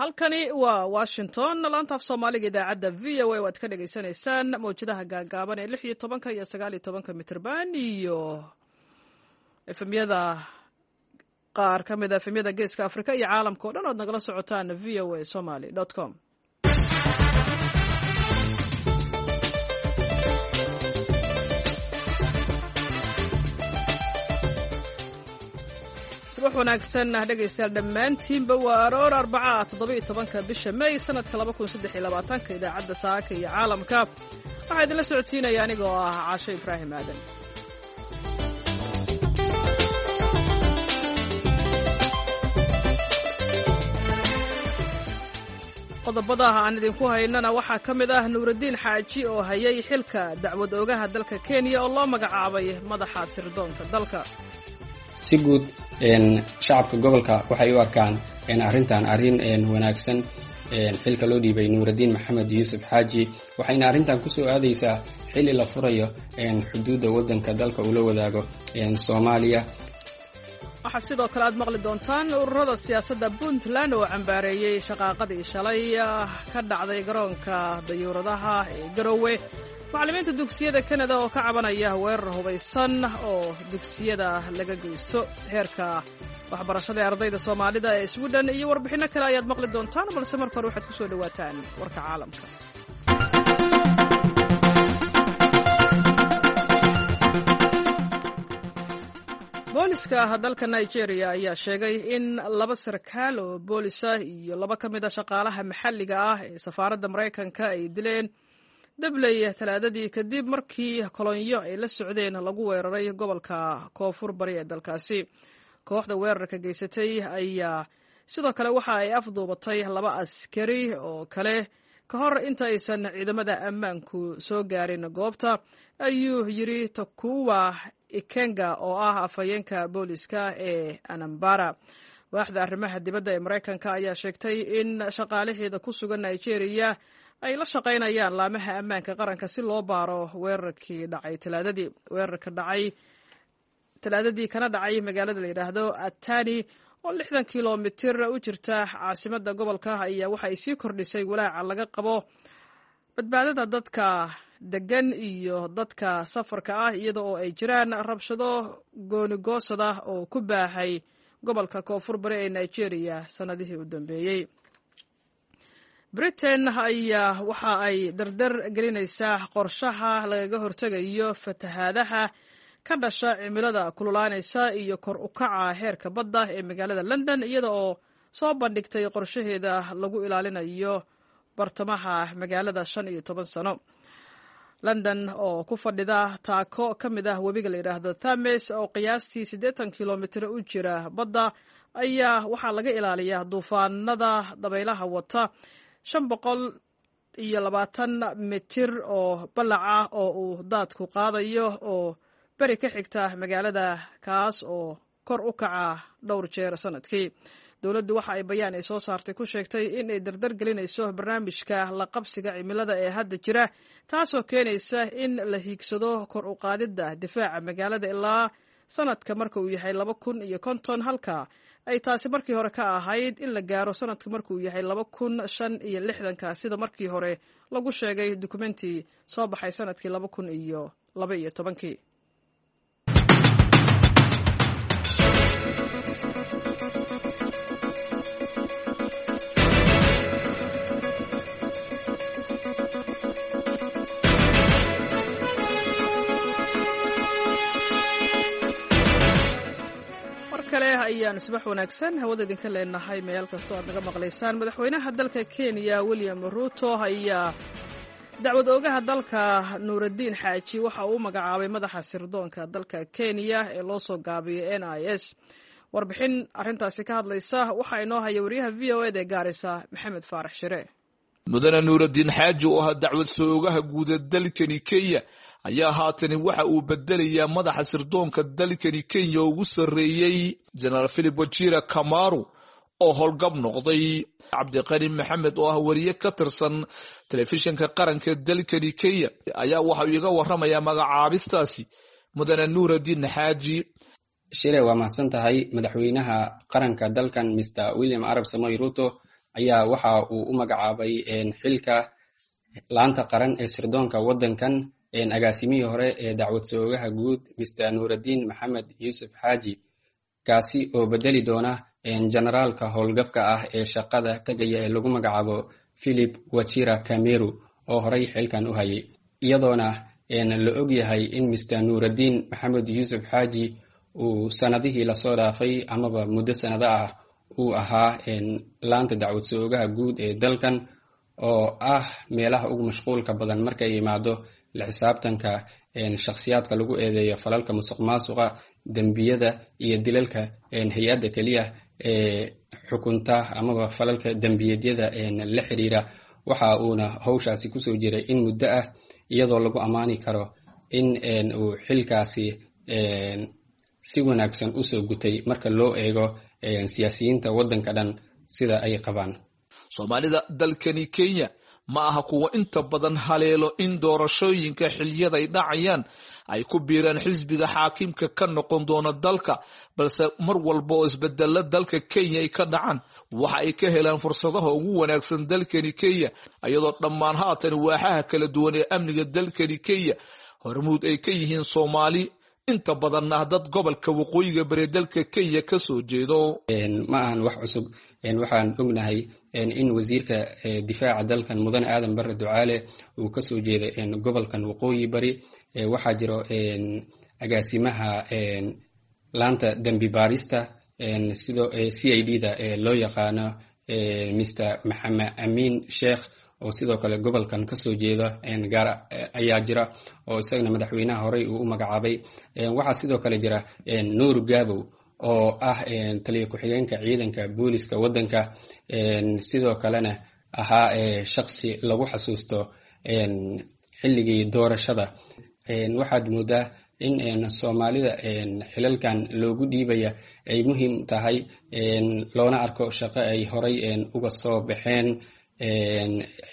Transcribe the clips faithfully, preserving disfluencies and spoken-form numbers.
Halkani waa Washington, laanta af Soomaaliga idaacadda V O A. Waad ka dhagaysanaysaan mawjadaha gaagaaban ee lix iyo tobanka iyo sagaal iyo tobanka mitrban iyo F M-yada qaar ka mid a F M-yada Geeska Afrika iyo caalamka o dhan oad nagala socotaan V O A Somaly com. Subax wanaagsan dhegaystayaal dhammaantiinba. Waa aroor Arbaca, toddoba iyo tobanka bisha May, sanadka laba kun saddex iyo labaatanka. Idaacadda saaka iyo caalamka waxaa idinla socodsiinaya anigoo ah Caasho Ibraahim Aadan. Qodobada aan idinku haynana waxaa ka mid ah Nuuraddiin Xaaji oo hayay xilka dacwad oogaha dalka Kenya oo loo magacaabay madaxa sirdoonka dalka. Si guud shacabka gobolka waxay u arkaan arrintan arrin wanaagsan, xilka loo dhiibay Nuuraddiin Maxamed Yuusuf Xaaji, waxayna arrintan kusoo aadaysaa xilli la furayo xuduudda waddanka dalka uu la wadaago Soomaaliya. Waxaa sidoo kale aad maqli doontaan ururada siyaasadda Puntland oo cambaareeyey shaqaaqadii shalay ka dhacday garoonka dayuuradaha ee Garowe, macallimiinta dugsiyada Kanada oo ka cabanaya weerar hubaysan oo dugsiyada laga geysto, heerka waxbarashada ee ardayda Soomaalida ee Sweden iyo warbixinno kale ayaad maqli doontaan, balse marka hore waxaad ku soo dhowaataan warka caalamka. Booliska dalka Nigeria ayaa sheegay in laba sarkaal oo boolisa iyo laba ka mid a shaqaalaha maxalliga ah ee safaaradda Maraykanka ay dileen dabley Talaadadii, kadib markii kolonyo ay la socdeen lagu weeraray gobolka koonfur bari ee dalkaasi. Kooxda weerarka geysatay ayaa sidoo kale waxa ay afduubatay laba askari oo kale ka hor inta aysan ciidamada ammaanku soo gaarin goobta, ayuu yiri Tokuwa Ikenga oo ah afhayeenka booliska ee Anambara. Waaxda arrimaha dibadda ee Maraykanka ayaa sheegtay in shaqaalaheeda ku sugan Nigeria ay la shaqaynayaan laamaha ammaanka qaranka si loo baaro weerarkii dhacay Talaadadii. Weerarka dhacay Talaadadii kana dhacay magaalada la yidhaahdo Atani oo lixdan kilomitir u jirta caasimadda gobolka ayaa waxa ay sii kordhisay walaaca laga qabo badbaadada dadka degan iyo dadka safarka ah, iyada oo ay jiraan rabshado goonigoosada oo ku baahay gobolka koonfur bari ee Nigeria sannadihii u dambeeyey. Britain ayaa waxa ay dardar gelinaysaa qorshaha lagaga hortegayo fatahaadaha ka dhasha cimilada kululaanaysa iyo kor u kaca heerka badda ee magaalada London, iyada oo soo bandhigtay qorshaheeda lagu ilaalinayo bartamaha magaalada shan iyo toban sano. London oo ku fadhida taako ka mid ah webiga la yidhaahdo Thames oo qiyaastii siddeetan kilomitir u jira badda ayaa waxaa laga ilaaliyaa duufaanada dabaylaha wata shan boqol iyo labaatan mitir oo ballac ah oo uu daadku qaadayo oo beri ka xigta magaalada, kaas oo kor u kaca dhowr jeer sanadkii. Dowladdu waxa ay bayaan ay soo saartay ku sheegtay in ay dardar gelinayso barnaamijka la qabsiga cimilada ee hadda jira, taasoo keenaysa in la hiigsado kor u qaadidda difaaca magaalada ilaa sanadka marka uu yahay laba kun iyo konton, halka ay taasi markii hore ka ahayd in la gaaro sanadka markuu yahay laba kun shan iyo lixdanka, sida markii hore lagu sheegay dukumenti soo baxay sanadkii laba kun iyo laba iyo tobankii. Kale ayaan subax wanaagsan hawada idinka leenahay meel kastoo aad naga maqlaysaan. Madaxweynaha dalka Kenya William Ruto ayaa dacwad oogaha dalka Nuuraddiin Xaaji waxa uu magacaabay madaxa sirdoonka dalka Kenya ee loo soo gaabiyay N I S. Warbixin arrintaasi ka hadlaysa waxaa inoo haya wariyaha V O eda ee Gaarisa, Maxamed Faarax Shire. Mudane Nuuraddiin Xaaji oo ahaa dacwad soo ogaha guuda dalkani Kenya ayaa haatani waxa uu bedelayaa madaxa sirdoonka dalkani Kenya ugu sarreeyey, Jenaraal Philip Wajira Kamaru, oo howlgab noqday. Cabdiqani Maxamed oo ah wariye ka tirsan telefishinka qaranka dalkani Kenya ayaa waxa uu iga warramayaa magacaabistaasi mudane Nuuraddiin Xaaji. Shire, waa mahadsan tahay. Madaxweynaha qaranka dalkan, Mister William Arap Samoei Ruto, ayaa waxa uu u magacaabay xilka laanta qaran ee sirdoonka waddankan agaasimihii hore ee dacwad soogaha guud Mister Nuuraddiin Maxamed Yuusuf Xaaji, kaasi oo bedeli doona generaalka howlgabka ah ee shaqada tagaya ee lagu magacaabo Philip Wachira Kameru oo horey xilkan u hayay, iyadoona la ogyahay in Mister Nuuraddiin Maxamed Yuusuf Xaaji uu sanadihii lasoo dhaafay amaba muddo sanado ah uu ahaa laanta dacwad soogaha guud ee dalkan oo ah meelaha ugu mashquulka badan markay yimaado la xisaabtanka shakhsiyaadka lagu eedeeyo falalka musuqmaasuqa, dembiyada iyo dilalka. Hay-adda keliya ee xukunta amaba falalka dembiyeedyada la xiriira, waxa uuna howshaasi kusoo jiray in muddo ah, iyadoo lagu ammaani karo in uu xilkaasi si wanaagsan usoo gutay marka loo eego siyaasiyiinta waddanka dhan sida ay qabaan. Soomaalida dalkani Kenya ma aha kuwa inta badan haleelo in doorashooyinka xiliyada ay dhacayaan ay ku biiraan xisbiga xaakimka ka noqon doona dalka, balse mar walba oo isbedela dalka Kenya ay ka dhacaan waxa ay ka helaan fursadaha ugu wanaagsan dalkani Kenya, iyadoo dhammaan haatan waaxaha kala duwan ee amniga dalkani Kenya hormuud ay ka yihiin Soomaali inta badanna dad gobolka waqooyiga bari dalka Kenya ka soo jeedo. Ma ahan wax cusub. Waxaan ognahay in wasiirka difaaca dalkan Mudane Aadan Barre Ducaale uu kasoo jeeday gobolkan waqooyi bari. Waxaa jiro agaasimaha laanta dembi baarista sidoo C I D da loo yaqaano Mister Maxamed Amiin Sheekh oo sidoo kale gobolkan kasoo jeeda gaar ayaa jira oo isagana madaxweynaha horey uu u magacaabay. Waxaa sidoo kale jira Nuur Gaabow oo ah taliya ku-xigeenka ciidanka booliska waddanka, sidoo kalena ahaa shaqsi lagu xasuusto xilligii doorashada. Waxaad moodaa in Soomaalida xilalkan loogu dhiibaya ay muhiim tahay, loona arko shaqo ay horey uga soo baxeen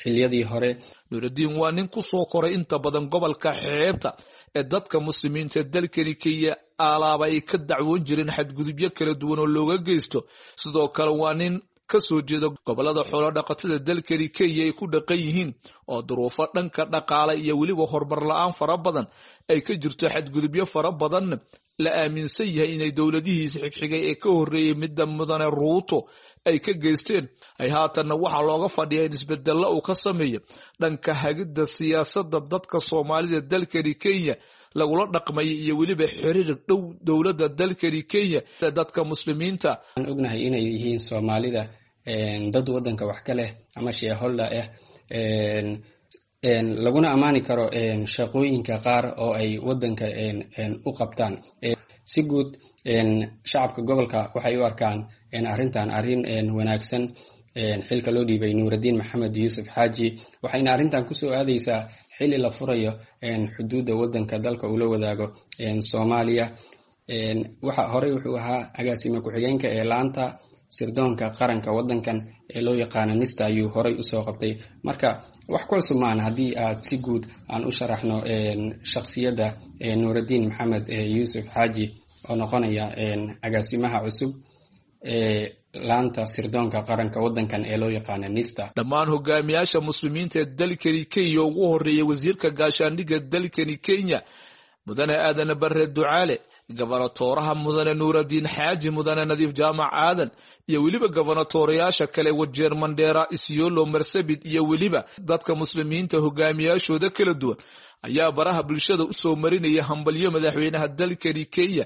xiliyadii hore. Nuuraddiin waa nin ku soo koray inta badan gobolka xeebta ee dadka muslimiinta dalkani Kenya alaaba ay ka dacwoon jireen xadgudubyo kala duwan oo looga geysto. Sidoo kale waa nin ka soo jeeda gobolada xoolo dhaqatada dalkani Kenya ay ku dhaqan yihiin oo duruufo dhanka dhaqaale iyo weliba horumar la-aan fara badan ay ka jirto, xadgudubyo fara badan la aaminsan yahay inay dowladihiisa xigxigay ee ka horreeyay midda Mudane Ruuto ay ka geysteen. Ay haatanna waxaa looga fadhiyaa in isbedella uu ka sameeyo dhanka hagidda siyaasadda dadka Soomaalida dalkani Kenya lagula dhaqmaya iyo weliba xiriir dhow dowladda dalkani Kenya dadka muslimiinta. Waxaan ognahay inay yihiin Soomaalida dad waddanka wax ka leh ama shareholder ah, laguna ammaani karo shaqooyinka qaar oo ay waddanka u qabtaan. Si guud shacabka gobolka waxay u arkaan arrintan arrin wanaagsan, xilka loo dhiibay Nuuraddiin Maxamed Yuusuf Xaaji, waxayna arrintan kusoo aadaysaa xilli la furayo xuduudda waddanka dalka uu la wadaago Soomaaliya. Waxa horey wuxuu ahaa agaasime ku-xigeenka ee laanta sirdoonka qaranka waddankan ee loo yaqaano NISTA ayuu horey usoo qabtay. Marka wax ku cusub maahan haddii aad si guud aan u sharaxno shakhsiyadda Nuuraddiin Maxamed Yuusuf Xaaji oo noqonaya agaasimaha cusub ee laanta sirdoonka qaranka waddankan ee loo yaqaano NISTA. Dhammaan hogaamiyaasha muslimiinta ee dalkani Kenya ugu horreeyay wasiirka gaashaandhigga dalkani Kenya Mudane Aadan Barre Ducaale, gobonatooraha Mudane Nuuraddiin Xaaji, Mudane Nadiif Jaamac Aadan iyo weliba gobonatoorayaasha kale Wajeer, Mandheera, Isiolo, Marsabit iyo weliba dadka muslimiinta hogaamiyaashooda kala duwan ayaa baraha bulshada usoo marinaya hambalyo madaxweynaha dalkani Kenya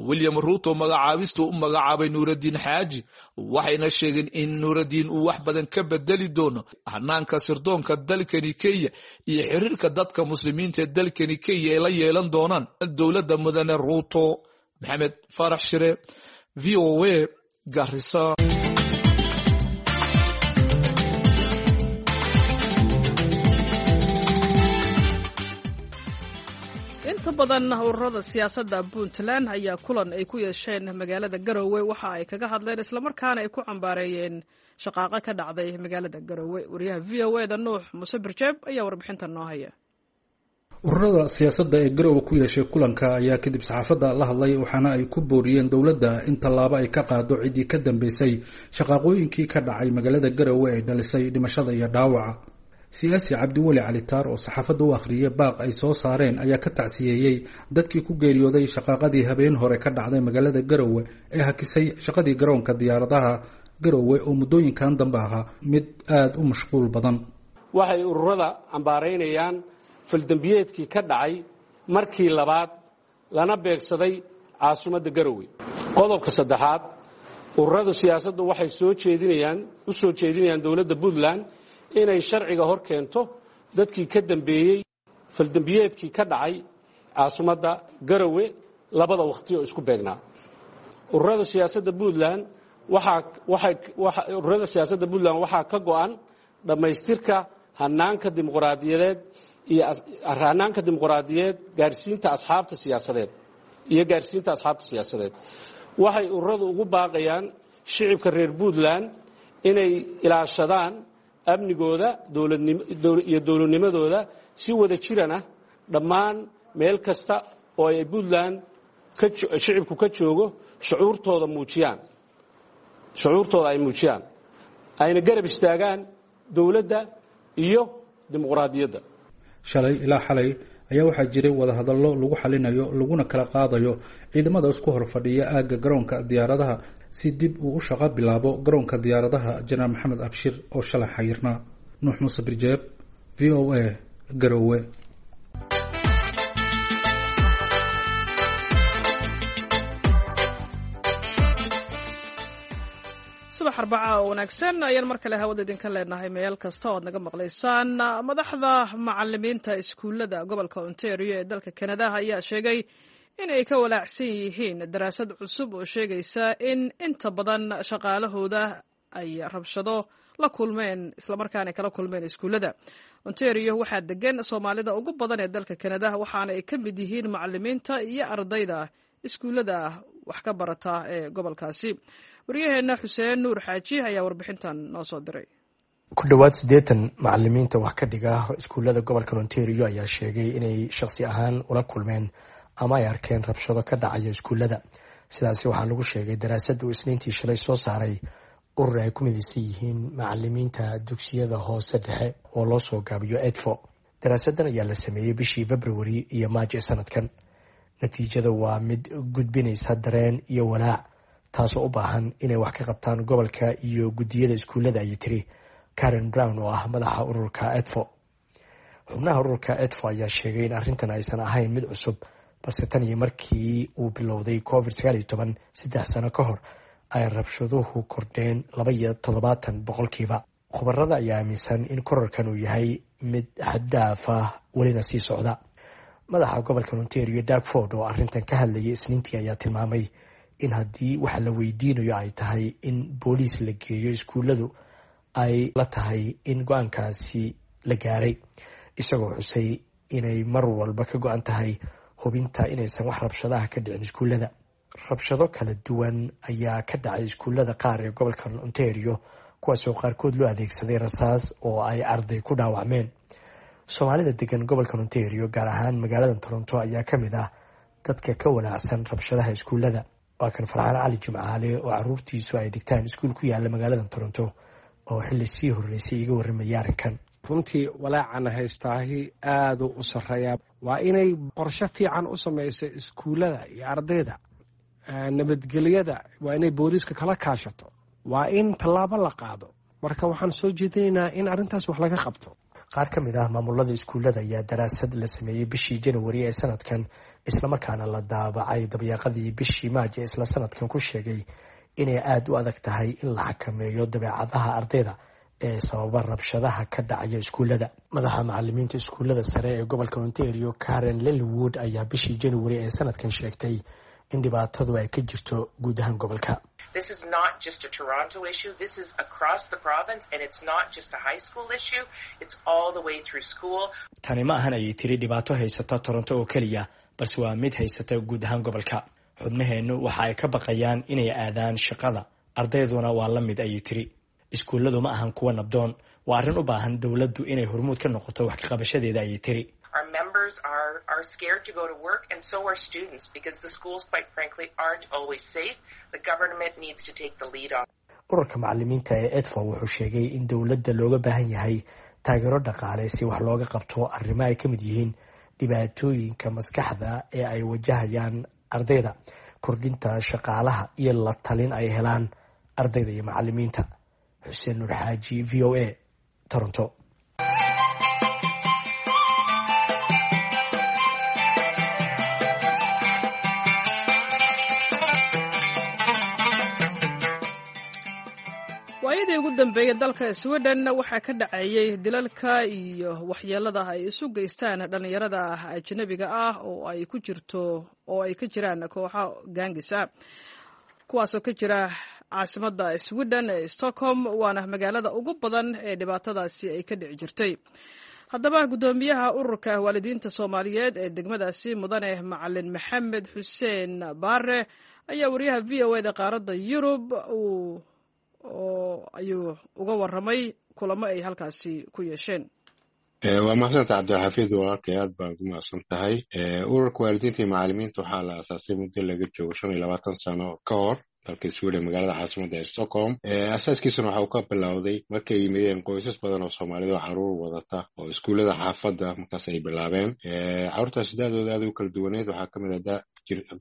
William Ruto magacaabista u magacaabay Nuuraddiin Xaaji, waxayna sheegeen in Nuuraddiin uu wax badan ka bedeli doono hanaanka sirdoonka dalkani Kenya iyo xiriirka dadka muslimiinta ee dalkani Kenya ay la yeelan doonaan dowladda Mudane Ruto. Maxamed Faarax Shire, V O A, Garissa. Inta badan ururada siyaasadda Puntland ayaa kulan ay ku yeesheen magaalada Garowe waxa ay kaga hadleen islamarkaana ay ku cambaareeyeen shaqaaqo ka dhacday magaalada Garowe. Wariyaha V O A da Nuux Muuse Birjeeb ayaa warbixintan noo haya. Ururada siyaasadda ee Garowe ku yeeshay kulanka ayaa kadib saxaafadda la hadlay, waxaana ay ku booriyeen dowladda in tallaabo ay ka qaado ciddii ka dambeysay shaqaaqooyinkii ka dhacay magaalada Garowe ee dhalisay dhimashada iyo dhaawaca. Siyaasi Cabdiweli Cali Taar oo saxaafadda u akhriyay baaq ay soo saareen ayaa ka tacsiyeeyey dadkii ku geeriyooday shaqaaqadii habeen hore ka dhacday magaalada Garowe ee hakisay shaqadii garoonka diyaaradaha Garowe oo muddooyinkan dambe ahaa mid aada u mashquul badan. Waxay ururada ambaaraynayaan faldembiyeedkii ka dhacay markii labaad lana beegsaday caasimadda Garowe. Qodobka saddexaad, ururada siyaasaddu waxay soo jeedinayaan u soo jeedinayaan dowladda Puntland inay sharciga hor keento dadkii ka dambeeyey faldembiyeedkii ka dhacay caasimadda Garowe labada wakhti oo isku beegnaa. Ururada siyaasadda Puntland waxaa waxay ururada siyaasadda Puntland waxaa ka go'an dhammaystirka hanaanka dimuqraadiyadeed iyo hanaanka dimuqraadiyeed gaarsiinta asxaabta siyaasadeed iyo gaarsiinta asxaabta siyaasadeed. Waxay ururadu ugu baaqayaan shicibka reer Puntland inay ilaashadaan amnigooda iyo dowladnimadooda si wada jirana dhammaan meel kasta oo ay Puntland shicibku ka joogo shucuurtooda muujiyaan shucuurtooda ay muujiyaan ayna garab istaagaan dowladda iyo dimuqraadiyadda. Shalay ilaa xalay ayaa waxaa jiray wadahadallo lagu xalinayo laguna kala qaadayo ciidamada isku hor fadhiya aagga garoonka diyaaradaha si dib uu u shaqo bilaabo garoonka diyaaradaha Jenaraal Maxamed Abshir oo shalay xayirnaa. Nuux Muuse Birjeeb, V O A, Garowe. Subax arbaca oo wanaagsan ayaan mar kale hawada idinka leenahay meel kasta oo aad naga maqlaysaan. Madaxda macalimiinta iskuullada gobolka Ontario ee dalka Kanada ayaa sheegay in ay ka walaacsan yihiin daraasad cusub oo sheegaysa in inta badan shaqaalahooda ay rabshado la kulmeen islamarkaana kala kulmeen iskuullada. Ontario waxaa degan Soomaalida ugu badan ee dalka Kanada, waxaana ay ka mid yihiin macalimiinta iyo ardayda iskuullada wax ka barata ee gobolkaasi. Waryaheena Xuseen Nuur Xaaji ayaa warbixintan noo soo diray. Ku dhowaad siddeetan macalimiinta wax ka dhiga iskuullada gobolka Ontario ayaa sheegay inay shakhsi ahaan ula kulmeen ama ay arkeen rabshado ka dhacaya iskuullada. Sidaasi waxaa lagu sheegay daraasad uu Isniintii shalay soo saaray urur ay ku midaysan yihiin macalimiinta dugsiyada hoose dhexe oo loo soo gaabiyo EDFO. Daraasadan ayaa la sameeyey bishii Februari iyo Maajo ee sanadkan. Natiijada waa mid gudbinaysa dareen iyo walaac, taasoo u baahan inay wax ka qabtaan gobolka iyo guddiyada iskuullada, ayay tiri Karen Brown oo ah madaxa ururka EDFO. Xubnaha ururka EDFO ayaa sheegay in arrintan aysan ahayn mid cusub, balse tan iyo markii uu bilowday covid sagaal iyo toban saddex sano ka hor ay rabshaduhu kordheen laba iyo toddobaatan boqolkiiba. Khubarada ayaa aaminsan in korarkan uu yahay mid xaddaaf ah welina sii socda. Madaxa gobolka Ontario Doug Ford oo arrintan ka hadlayay Isniintii ayaa tilmaamay in haddii waxa la weydiinayo ay tahay in booliis la geeyo iskuulladu, ay la tahay in go-aankaasi la gaaray, isagoo xusay inay mar walba ka go-an tahay hubinta inaysan wax rabshadaha ka dhicin iskuullada. Rabshado kala duwan ayaa ka dhacay iskuullada qaar ee gobolka Ontario, kuwaasoo qaarkood loo adeegsaday rasaas oo ay arday ku dhaawacmeen. Soomaalida degan gobolka Ontario, gaar ahaan magaalada Toronto, ayaa ka mid ah dadka ka walaacsan rabshadaha iskuullada. Waa kan Farxaan Cali Jimcaale oo caruurtiisu ay dhigtaan iskuul ku yaala magaalada Toronto oo xilli sii horreysay iga warramaya arrinkan. Runtii walaacana haystaahi aaduu u sarreeyaa. Waa inay qorshe fiican u samayso iskuullada iyo ardayda. Nabadgelyada waa inay booliiska kala kaashato, waa in tallaabo la qaado. Marka waxaan soo jeedinaynaa in arrintaas wax laga qabto. Qaar ka mid ah maamulada iskuullada ayaa daraasad la sameeyey bishii Janawari ee sanadkan, islamarkaana la daabacay dabyaaqadii bishii Maaji isla sanadkan, ku sheegay inay aada u adag tahay in la xakameeyo dabeecadaha ardayda ee sababa rabshadaha ka dhacaya iskuullada. Madaxa macalimiinta iskuullada sare ee gobolka Ontario Karen Lilwood ayaa bishii Janawari ee sanadkan sheegtay in dhibaatadu ay ka jirto guud ahaan gobolka. This is not just a Toronto issue. This is across the province, and it's not just a high school issue. It's all the way through school. Tani ma ahan, ayay tiri, dhibaato haysata Toronto oo keliya, balse waa mid haysata guud ahaan gobolka. Xubnaheennu waxa ay ka baqayaan inay aadaan shaqada, ardayduna waa la mid, ayay tiri. Iskuulladu ma ahan kuwa nabdoon, waa arrin u baahan dowladdu inay hormuud ka noqoto wax ka qabashadeeda, ayay tiri. Our members are, are scared to go to work, and so are students, because the schools, quite frankly, aren't always safe. The government needs to take the lead on. Ururka macalimiinta ee EDFO wuxuu sheegay in dowladda looga baahan yahay taageero dhaqaale si wax looga qabto arrimo ay ka mid yihiin dhibaatooyinka maskaxda ee ay wajahayaan ardayda, kordhinta shaqaalaha iyo la talin ay helaan ardayda iyo macalimiinta. Xuseen Nuur Xaaji, V O A, Toronto. Waayadii ugu dambeeyey dalka Sweden waxaa ka dhacayay dilalka iyo waxyeelada ay isu geystaan dhallinyarada ajnabiga ah oo ay ku jirto oo ay ka jiraan kooxo gaangis ah, kuwaasoo ka jira caasimadda Sweden ee Stockholm, waana magaalada ugu badan ee dhibaatadaasi ay ka dhici jirtay. Haddaba guddoomiyaha ururka waalidiinta Soomaaliyeed ee degmadaasi, mudane Macalin Maxamed Xuseen Baare, ayaa wariyaha V O A da qaaradda Yurub uu oo ayuu uga waramay kulamo ay halkaasi ku yeesheen. Waa mahadsanta Cabdilxafiid, walaalkay, aad baan ugu mahadsan tahay. Ururka waalidiinta iyo macalimiinta waxaa la aasaasay muddo laga joogo shan iyo labaatan sano ka hor dalka Sweden, magaalada caasimadda ee Stockholm. Asaaskiisuna waxa uu ka bilowday markay yimideen qoysas badan oo Soomaalida oo caruur wadata oo iskuullada xaafadda markaas ay bilaabeen. Carruurtaasi da-dooda aad u kala duwaneed, waxaa kamid ah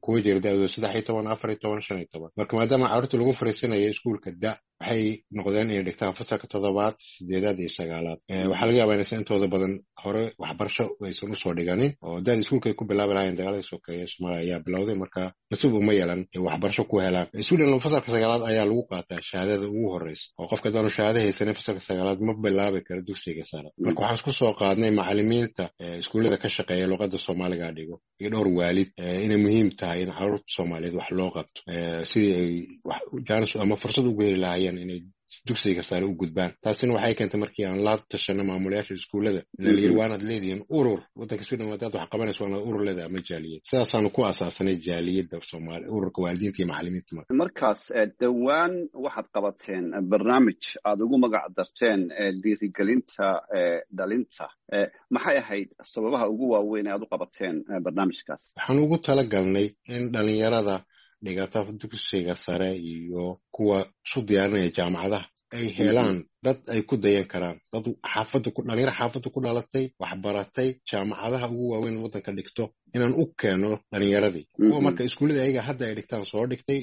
kuwa jira da-dooda saddex iyo toban, afar iyo toban, shan iyo toban. Marka maadaama carruurta lagu fariisanayo iskuulka da waxay noqdeen inay dhigtaan fasalka toddobaad, sideedaad iyo sagaalaad. Waxaa laga yaabaa inaysan intooda badan hore waxbarasho aysan usoo dhiganin oo da-da iskuulka ay ku bilaabi lahayen dagaaladii sokeeye Soomaaliya ayaa bilowday, marka nasiib uma yeelan waxbarasho ku helaan. Sweden fasalka sagaalaad ayaa lagu qaataa shahaadada ugu horeysa, oo qofka haddaanu shahaado haysanin fasalka sagaalaad ma bilaabi karo dugsiga sare. Marka waxaan isku soo qaadnay macalimiinta iskuullada ka shaqeeya luqadda Soomaaliga dhigo iyo dhowr waalid inay muhiim tahay in carruurta Soomaaliyeed wax loo qabto sidii ay jaanis ama fursad ugu heli lahaayeen inay dugsiga sare u gudbaan. Taasina waxay keentay markii aan la tashano maamulayaasha iskuullada layiri waanaad leedihiin urur waddanka Sweden, hadaad wax qabanayso waanaad urur leedahay ama jaaliyad. Sidaasaanu ku asaasanay jaaliyadda Soomaali, ururka waalidiinta iyo macalimiinta. Marka markaas dhowaan waxaad qabateen barnaamij aad ugu magac darteen dhiirigelinta dhalinta. Maxay ahayd sababaha ugu waaweyn ee aad u qabateen barnaamijkaas? Waxaan ugu talagalnay in dhalinyarada dhigata dugsiga sare iyo kuwa isu diyaarinaya jaamacadaha ay helaan dad ay ku dayan karaan, dad xaafadda ku dhalinyaro xaafadda ku dhalatay, waxbaratay, jaamacadaha ugu waaweyn waddanka dhigto, inaan u keeno dhalinyaradii kuwa marka iskuullada ayaga hadda ay dhigtaan soo dhigtay,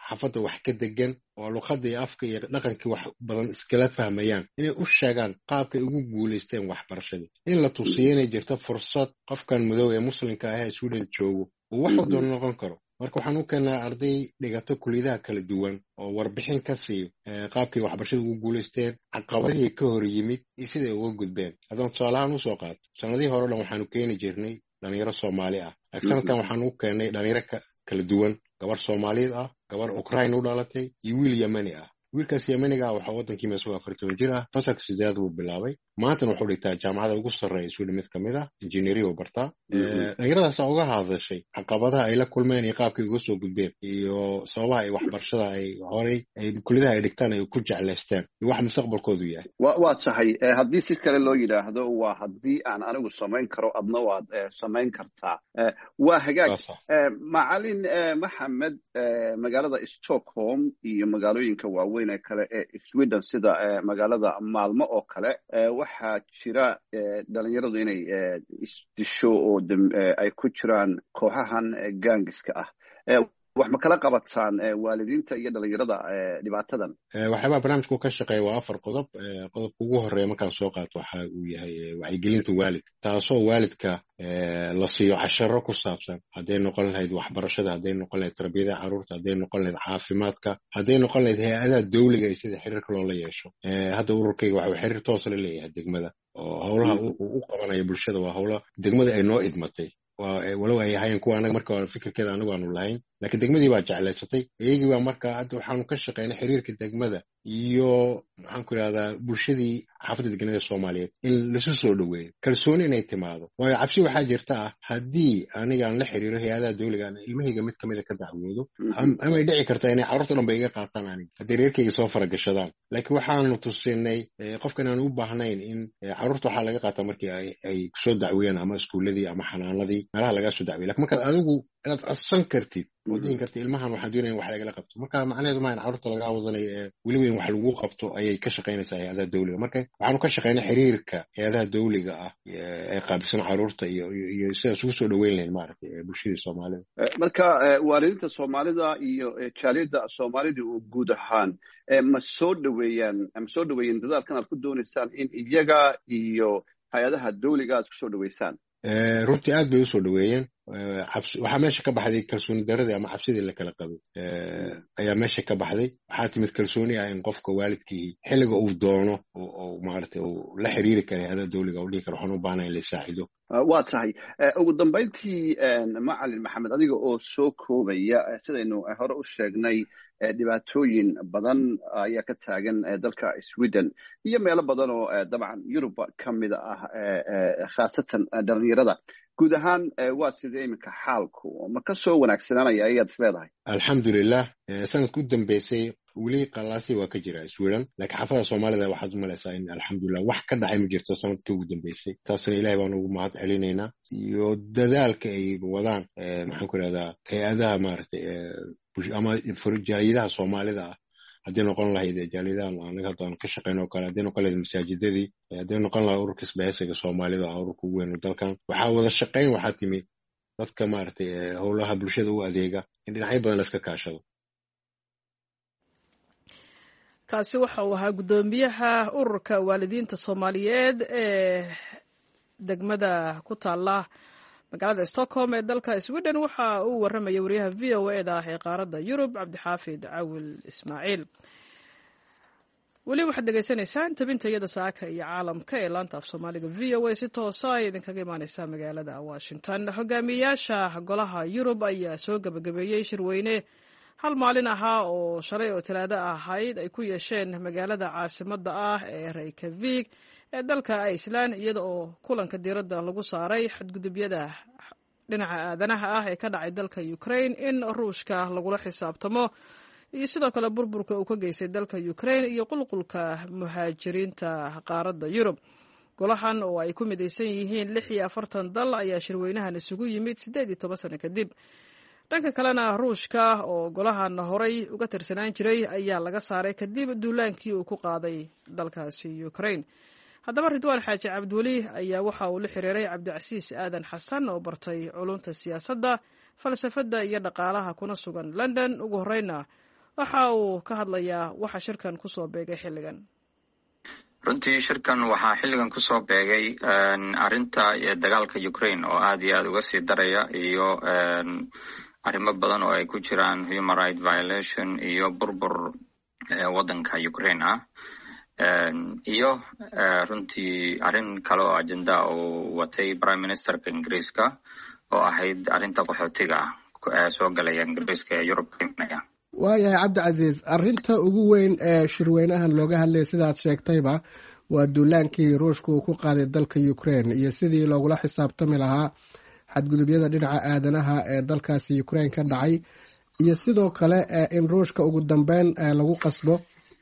xaafadda wax ka degan oo luqadda iyo afka iyo dhaqankii wax badan iskala fahmayaan, inay u sheegaan qaabkay ugu guulaysteen waxbarashadii, in la tusiyo inay jirto fursad qofkan madow ee muslimka ah ee Sweden joogo uu wax doona noqon karo. Marka waxaan u keenaa arday dhigato kuliyadaha kala duwan oo warbixin ka siiyo qaabkay waxbarashada ugu guulaysteen, caqabadihii ka hor yimid iyo siday uga gudbeen. Haddaan tusaalahaan usoo qaato, sanadihii hore o dhan waxaanu keeni jirnay dhalinyaro Soomaali ah, laakiin sanadkan waxaan u keenay dhalinyaro kala duwan, gabar Soomaaliyeed ah, gabar Ukraine u dhalatay iyo wiil Yemeni ah. Wiilkaas Yemeniga ah waxaa waddankii isagoo afar toban jir ah fasalka sideedaad buu bilaabay, maantana wuxuu dhigtaa jaamacada ugu sarreeya Sweden mid kamid ah, injineeriya uu bartaa. Dhalinyaradaasa uga hadashay caqabadaha ay la kulmeen iyo qaabkay uga soo gudbeen iyo sababaha ay waxbarashada ay horey ay kuliyadaha ay dhigtaan ay ku jeclaysteen iyo wax mustaqbalkoodu yahay. Wa waa tahay, haddii si kale loo yidhaahdo waa haddii aan anigu samayn karo adna waad samayn kartaa. Waa hagaag. Macalin Maxamed, magaalada Stockholm iyo magaalooyinka waaweyn ee kale ee Sweden sida magaalada Maalmo oo kale, waxaa jira dhalinyaradu inay isdisho oo ay ku jiraan kooxahan gaangiska ah. Wax ma kala qabataan waalidiinta iyo dhalinyarada dhibaatadan? Waxyaabaha barnaamijku ka shaqeeya waa afar qodob. Qodobka ugu horeeya markaan soo qaato waxa uu yahay wacyigelinta waalidka, taasoo waalidka la siiyo casharo ku saabsan hadday noqon lahayd waxbarashada, hadday noqon lahayd tarbiyada carruurta, hadday noqon lahayd caafimaadka, hadday noqon lahayd hay-adaha dawliga iyo sida xiriirka loola yeesho. Hadda ururkayga waxa uu xiriir toos la leeyahay degmada, oo howlaha uu u qabanayo bulshada waa howla degmada ay noo idmatay, walow ay ahaayeen kuwa anaga marka hore fikirkeeda anagu aanu lahayn, Laakiin degmadii baa jeclaysatay, iyagii baa markaa hadda waxaanu ka shaqeynay xiriirka degmada iyo maxaan ku idhahdaa bulshadii xaafadda deganada Soomaaliyeed in lasu soo dhoweeyo, kalsooni inay timaado. Waayo cabsi waxaa jirta ah haddii aniga aan la xiriiro hay-adaha dowliga aan ilmahayga mid kamida ka dacwoodo, amay dhici kartaa inay carruurta dhan ba iga qaataan aniga hadday reerkayga soo faragashadaan. Laakiin waxaanu tusinay qofkan aan u baahnayn in carruurta waxaa laga qaataa markii ay ay soo dacweeyaan ama iskuuladii ama xanaanadii meelaha lagaa soo dacweeya. Lakin markaad adigu inaad codsan kartid oo dhihin kartid ilmahan waxaan doonaya in wax lagala qabto, marka macnaheedu maaha in carruurta lagaa wadanayo ee weliba in wax lagu qabto ayay ka shaqaynaysaa hay-adaha dowliga. Marka waxaanu ka shaqaynay xiriirka hay-adaha dowliga ah ee qaabilsan carruurta iyo iyo sidaas ugu soo dhoweyn lahayn maaragtay bulshadii Soomaalida. Marka waalidiinta Soomaalida iyo jaaliyadda Soomaalida oo guud ahaan ma soo dhoweeyaan ma soo dhoweeyeen dadaalkan aad ku doonaysaan in iyaga iyo hay-adaha dowliga aad ku soo dhoweysaan? Runtii aad bay usoo dhoweeyeen. Waxaa meesha ka baxday kalsooni daradii ama cabsidii la kala qabay ayaa meesha ka baxday. Waxaa timid kalsooni ah in qofka waalidkii xilliga uu doono oo maaragtay uu la xiriiri kara hay-adaha dowliga u dhihi karo waxaan u baahnaa in la saacido. Waa tahay. Ugu dambayntii, Macalin Maxamed, adiga oo soo koobaya, sidaynu hore u sheegnay dhibaatooyin badan ayaa ka taagan dalka Sweden iyo meelo badan oo dabcan Yuruba ka mid ah, khaasatan dhalinyarada guud ahaan. Waa sidee iminka xaalku? Ma ka soo wanaagsanaanaya ayaad is leedahay? Alxamdulilah, sanadka u dambeysay weli qalaasi waa ka jira Sweden, laakiin xaafada Soomaalida waxaad u malaysaa in alxamdulilah wax ka dhacay ma jirto sanadkii ugu dambeysay. Taasna Ilahay baan ugu mahad celinaynaa iyo dadaalka ay wadaan maxaan ku idhahdaa hay-adaha maaragtay ama jaaliyadaha Soomaalida ah, haddii noqon lahayd jaaliyadahan anaga hadda aan ka shaqeyn oo kale, haddii noqon lahayd masaajidadii, haddii noqon lahayd ururka isbahaysiga Soomaalida ah, ururka ugu weyn dalkan. Waxaa wada shaqeyn, waxaa timi dadka maaragtay howlaha bulshada u adeega in dhinacyo badan la iska kaashado. Kaasi waxa uu ahaa guddoomiyaha ururka waalidiinta Soomaaliyeed ee degmada ku taala magaalada Stockholm ee dalka Sweden. Waxa uu warramayay wariyaha V O E da ah ee qaaradda Yurub, Cabdixaafid Cawil Ismaaciil. Weli waxaad dhegaysanaysaan tabinta iyada saaka iyo caalamka ee laanta af Soomaaliga V O A, si toosa ay idinkaga imaaneysaa magaalada Washington. Hogaamiyayaasha golaha Yurub ayaa soo gebagabeeyey shirweyne hal maalin ahaa oo shalay oo Talaado ahayd ay ku yeesheen magaalada caasimadda ah ee Reykjavik ee dalka Iceland, iyada oo kulanka diiradda lagu saaray xadgudubyada dhinaca aadanaha ah ee ka dhacay dalka Ukraine, in Ruushka lagula xisaabtamo, iyo sidoo kale burburka uu ka geystay dalka Ukraine iyo qulqulka muhaajiriinta qaaradda Yurub. Golahan oo ay ku midaysan yihiin lix iyo afartan dal ayaa shirweynahan isugu yimid siddeed iyo toban sano kadib. Dhanka kalena, Ruushka oo golahan horay uga tirsanaan jiray ayaa laga saaray kadib duulaankii uu ku qaaday dalkaasi Ukraine. Haddaba Ridwaan Xaaji Cabdiweli ayaa waxa uu la xiriiray Cabdicasiis Aadan Xasan oo bartay culunta siyaasadda, falsafadda iyo dhaqaalaha, kuna sugan London. Ugu horeyna waxa uu ka hadlayaa waxa shirkan kusoo beegay xilligan. Runtii shirkan waxaa xilligan kusoo beegay arrinta dagaalka Ukraine oo aad iyo aad uga sii daraya, iyo arrimo badan oo ay ku jiraan human right violation iyo burbur waddanka Ukraine ah, iyo runtii arrin kale oo agenda uu watay prime ministerka Ingiriiska oo ahayd arrinta qaxootiga ah soo galaya Ingiriiska ee Yurub ka imanaya. Waayahay Cabdicasiis, arrinta ugu weyn ee shirweynahan looga hadlayay, sidaad sheegtayba, waa duulaankii Ruushka uu ku qaaday dalka Ukraine iyo sidii loogula xisaabtami lahaa xadgudubyada dhinaca aadanaha ee dalkaasi Ukraine ka dhacay, iyo sidoo kale in Ruushka ugu dambeyn lagu qasbo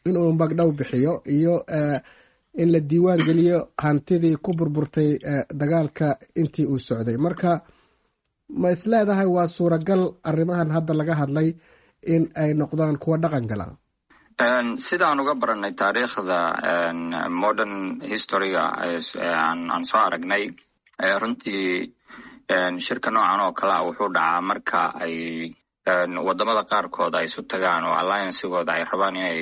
inuu magdhow bixiyo, iyo in la diiwaan geliyo hantidii ku burburtay dagaalka intii uu socday. Marka ma isleedahay waa suuragal arrimahan hadda laga hadlay in ay noqdaan kuwa dhaqan gala? Sidaan uga baranay taariikhda modern historyga aan soo aragnay, runtii shirka noocan oo kale a wuxuu dhacaa marka ay wadamada qaarkood ay isu tagaan oo alliancegooda ay rabaan inay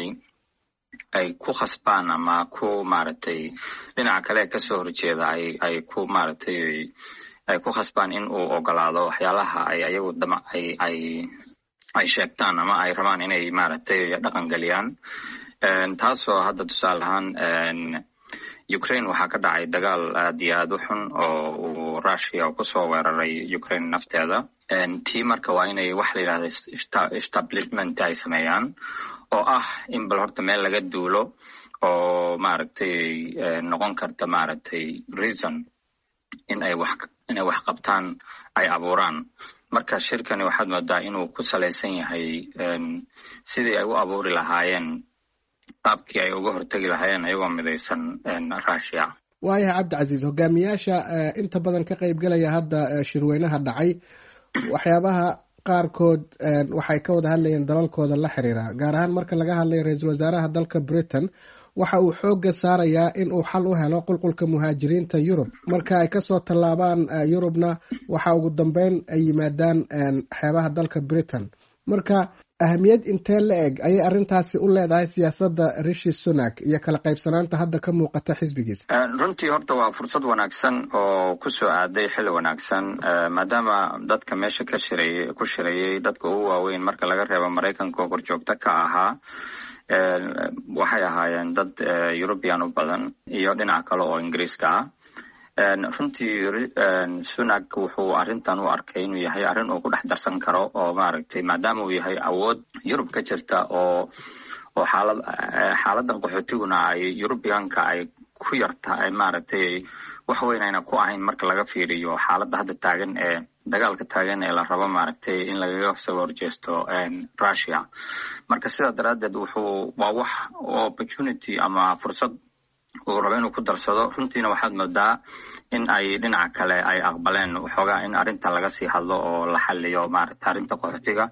ay ku khasbaan ama ku maaragtay dhinaca kale kasoo horjeeda ay ay ku maaragtay ay ku khasbaan in uu ogolaado waxyaalaha ay ayagu dama ay ay ay sheegtaan ama ay rabaan inay maaragtay dhaqan geliyaan. Taasoo hadda tusaale ahaan Ukraine waxaa ka dhacay dagaal aad iyo aad u xun oo uu Russia kusoo weeraray Ukraine nafteeda. Tii marka waa inay wax la yidhahda establishment ay sameeyaan, oo ah in bal horta meel laga duulo oo maaragtay noqon karta maaragtay reason in ay wax inay wax qabtaan ay abuuraan. Marka shirkani waxaad moodaa inuu ku salaysan yahay sidii ay u abuuri lahaayeen qaabkii ay uga hortegi lahaayeen ayagoo midaysan Russia. Waayahay Cabdicasiis, hogaamiyaasha inta badan ka qaybgalaya hadda shirweynaha dhacay, waxyaabaha qaarkood waxay ka wada hadlayeen dalalkooda la xiriira, gaar ahaan marka laga hadlayo ra-iisul wasaaraha dalka Britain waxa uu xoogga saarayaa in uu xal u helo qulqulka muhaajiriinta Yurub. Marka ay kasoo tallaabaan Yurubna waxa ugu dambeyn ay yimaadaan xeebaha dalka Britain. Marka ahamiyad intee la eg ayay arrintaasi u leedahay siyaasadda Rishi Sunak iyo kala qaybsanaanta hadda ka muuqata xisbigiisa? Runtii horta waa fursad wanaagsan oo kusoo aaday xilli wanaagsan, maadaama dadka meesha ka shiray ku shirayay dadka ugu waaweyn marka laga reebo Maraykanka oo korjoogto ka ahaa waxay ahaayeen dad European u badan iyo dhinac kale oo Ingiriiska ah. Runtii Sunak wuxuu arrintan u arkay inuu yahay arrin uu ku dhex darsan karo oo maaragtay maadaama uu yahay awood Yurub ka jirta oo oo xaalad xaaladan qaxootiguna ay Europeanka ay ku yarta maaragtay wax weyn ayna ku ahayn marka laga fiiriyo xaaladda hadda taagan ee dagaalka taagan ee la rabo maaragtay in lagaga soo horjeesto Russia. Marka sidaa daraaddeed wuxuu waa wax opportunity ama fursad uu rabo inuu ku darsado. Runtiina waxaad moodaa in ay dhinaca kale ay aqbaleen waxoogaa in arrintan laga sii hadlo oo la xaliyo maaragta arrinta qaxootiga.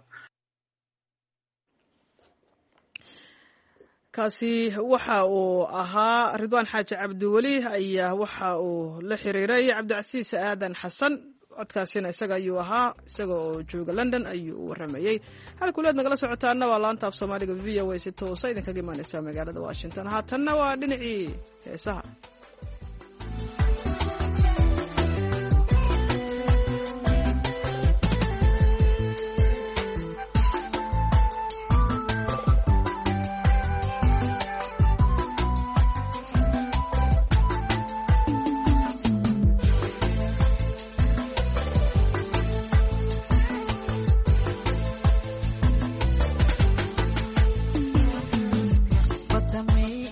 Kaasi waxa uu ahaa Ridwaan Xaaji Cabdiweli ayaa waxa uu la xiriiray Cabdicasiis Aadan Xasan. Codkaasina isaga ayuu ahaa, isaga oo jooga London ayuu u waramayey. Halkuleed nagala socotaana waa laanta af Soomaaliga V O A, si toosa idinkaga imaaneysa magaalada Washington. Haatanna waa dhinacii heesaha. But the me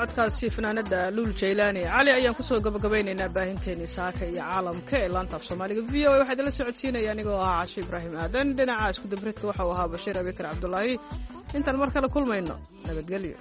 Codkaasi fanaanada Luul Jaylaani Cali ayaan kusoo gabagabaynaynaa baahinteeni saaka iyo caalamka ee laanta af Soomaaliga V O A. Waxaa idinla socodsiinaya anigoo ahaa Casho Ibraahim Aadan. Dhinaca isku dabridka waxau ahaa Bashiir Abikar Cabdulaahi. Intaan mar kale kulmayno, nabadgelyo.